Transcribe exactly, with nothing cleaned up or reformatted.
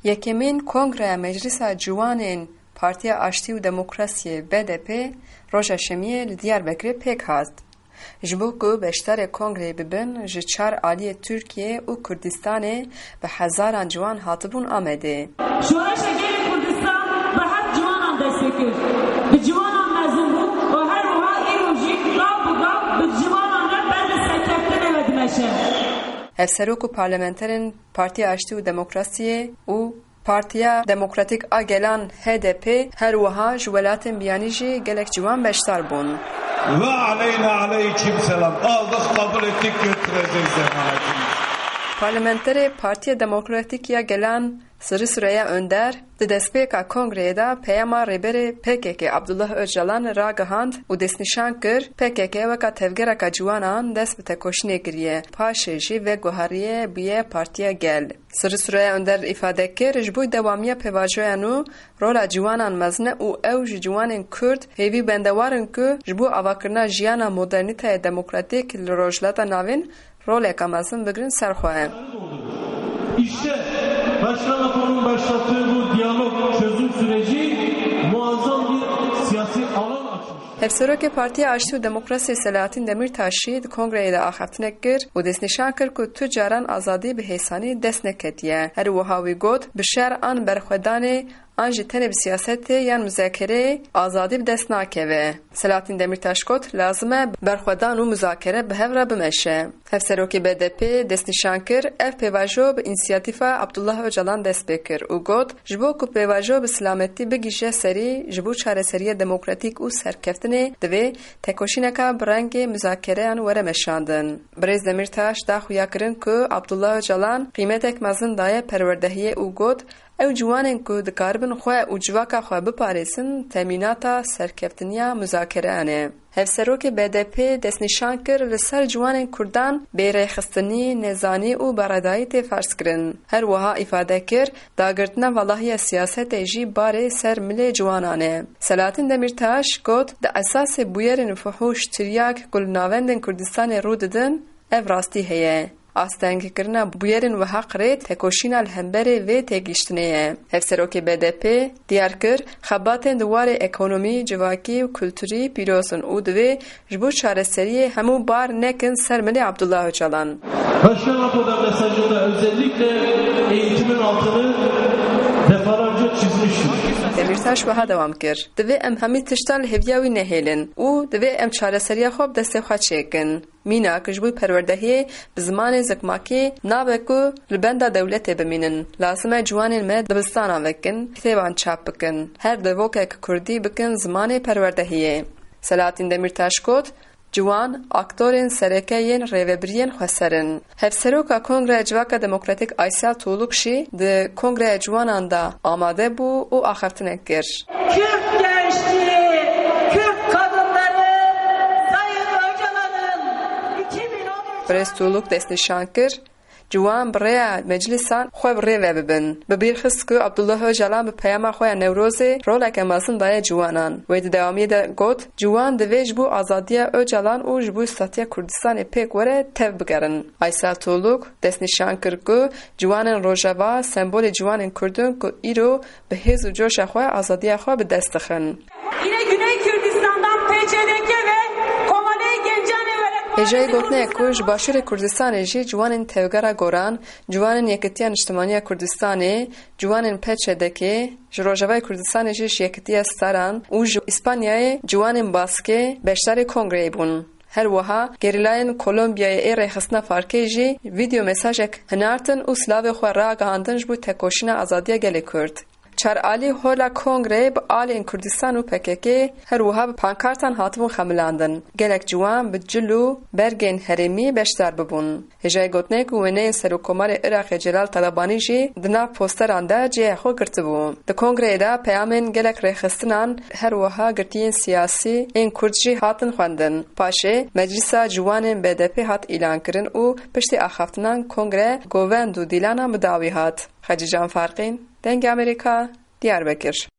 Yekemîn Kongreya Meclisa Ciwanên Partiya Aştî û Demokrasiyê, B D P, roja Şemiyê li Diyarbekirê pêk hat. Ji bo ku beşdarê kongreyê bibin, ji çar aliyê Tirkiye û Kurdistanê bi hezaran ciwan hatibûn Amedê. Şoreşa Gelê Kurdistan bi heft ciwanan dest pê kir. Bi ciwanan mezin bû û her wiha îro jî gav bi gav bi ciwanan re ber li serkeftinê ve dimeşe. Hevserok û parlamenterên Partiya Aştî û Demokrasiyê û Partiya Demokratîk a Gelan, H D P, her wiha ji welatên biyanî jî gelek ciwan beşdar bûn. Ve aleyna aleyküm selam. Aldık, kabul ettik, götüreceğiz emanetimizi. Parlamenterê Partiya Demokratîk ya Gelan, Sırrı Süreyya Önder, di destpêka kongreyê de peyama rêberê P K K Abdullah Öcalan ragihand û destnîşan kir, P K K weka tevgereka ciwanan dest bi tekoşînê kiriye, paşê jî veguheriye bûye Partiya Gel. Sirri Süreyya Önder îfade kir, ji bo dewamiya pêvajoya nû rola ciwanan mezin e û ew ji ciwanên Kurd hêvî bendewar in ku ji bo avakirina jiyana modernîteya demokratîk li Rojhilata Navîn roleka mezin bigirin ser xwe. İşte Başkan Apo'nun başlattığı bu diyalog çözüm süreci muazzam bir siyasi alan açmış. Hevserokê Partiya Aştî û Demokrasiyê Selahattin Demirtaş jî di kongreyê de axaftinek kir û destnîşan kir ku tu caran azadî bi hêsanî dest neketiye. Her wiha wî got, bi şer an berxwedanê an jî tenê bi siyasetê yan muzakereyê azadî bi dest nakeve. Selahattin Demirtaş got, lazim e berxwedan û muzakere bi hev re bimeşe. Hevserokê B D P destnîşan kir, ev pêvajo bi însiyatîfa Abdullah Ocalan dest pê kir û got, ji bo ku pêvajo bi silametî bigihîje serî, ji bo çareseriya demokratîk û serkeftinê divê tekoşîneka bi rengê muzakereyan were meşandin. Birêz Demîrtaş da xuyakirin ku Abdullah Ocalan qîmetek mezin daye perwerdehiyê û got, ew ciwanên ku dikaribin xwe û civaka xwe biparêzin, temînata serkeftiniya muzakereyan e. Hevserokê B D P destnîşan kir, li ser ciwanên Kurdan bêrêxistinî, nezanî û beredayî tê ferzkirin. Her wiha îfade kir, dagirtina valahiya siyasetê jî barê ser milê ciwanan e. Selahattin Demîrtaş got, di esasê bûyerên fuhûş, tiryak ku li navendên Kurdistanê rû didin, ev rastî heye. Astengkirina bûyerên wiha qirêt tekoşîna li hemberê vê têgihiştinê ye. Hevserokê B D P diyar kir, xebatên di warê ekonomî, civakî û kulturî pîroz in û divê ji bo çareseriyê hemû bar nekin ser milê Abdullah Ocalan. Başkan Apo da mesajında özellikle eğitimin altını defalarca çizmiştir. Demîrtaş wiha dewam kir, divê em hemî tişta li hêviya wî nehêlin û divê em çareseriya xwe bi destê xwe çêkin. Mînak, ji bo perwerdehiyê bi zimanê zikmakî nabe ku li benda dewletê bimînin. Lazim e ciwanên me dibistanan vekin, kitêban çap bikin. Her devokek kurdî bikin zimanê perwerdehiyê. Selahattin Demîrtaş got, ciwan aktorên sereke yên rêvebiriyên xweser in. Hevseroka Kongreya Civaka Demokratîk Aysel Tuğluk jî di Kongreya Ciwanan de amade bû û axaftinek kir. Kürt gençliği, Kürt kadınları Sayın Öcalan'ın iki bin on üç Birêz Tuğluk destnîşan kir, ciwan bi rêya meclisan xwe bi rê ve bibin. Bi bîr xist ku Abdullah Ocalan bi peyama xwe ya Newrozê roleke mezin daye ciwanan. Wê di dewamiyê de got, ciwan divê ji bo azadiya Ocalan û ji bo statiya Kurdistanê pêk were tev bigerin. Aysel Tuğluk destnîşan kir ku ciwanên Rojava sembolê ciwanên Kurd in ku îro bi hêz û coşa xwe azadiya xwe bi dest dixin. Yine Güney Kürdistan'dan P C D K ve Kovalê Gencane Öğretmen Hêjayî gotinê ye ku ji Başûrê Kurdistanê jî ciwanên Tevgera Goran, ciwanên Yekitiya Niştimaniya Kurdistanê, ciwanên P C D K, ji Rojavayê Kurdistanê jî ji Yekitiya Staran û ji Îspanyayê ciwanên Baskê beşdarê kongreyê bûn. Her wiha gerîlayên Kolombiyayê ê Rêxistina Farkê jî vîdeo mesajek hinartin û silavê xwe ragihandin ji bo tekoşîna azadiya gelê Kurd. Çar alî Hola Kongreyê bi alên Kurdistan û P K K her wiha bi pankartan hatibûn xemilandin. Gelek ciwan bi cil û bergên herêmî beşdar bibûn. Hêjayî gotinê ku wêneyên Serokkomarê Iraqê Celal Talabanî jî di nav posteran de cihê xwe girtibû. Di kongreyê de peyamên gelek rêxistinan, her wiha girtiyên siyasî ên Kurd jî hatin xwendin. Paşê Meclisa Ciwanên B D P hat îlankirin û piştî axaftinan kongre govend û dîlanan bi dawî hat. Xecîcan Farqîn, Dengê Amerîka, Diyarbekir.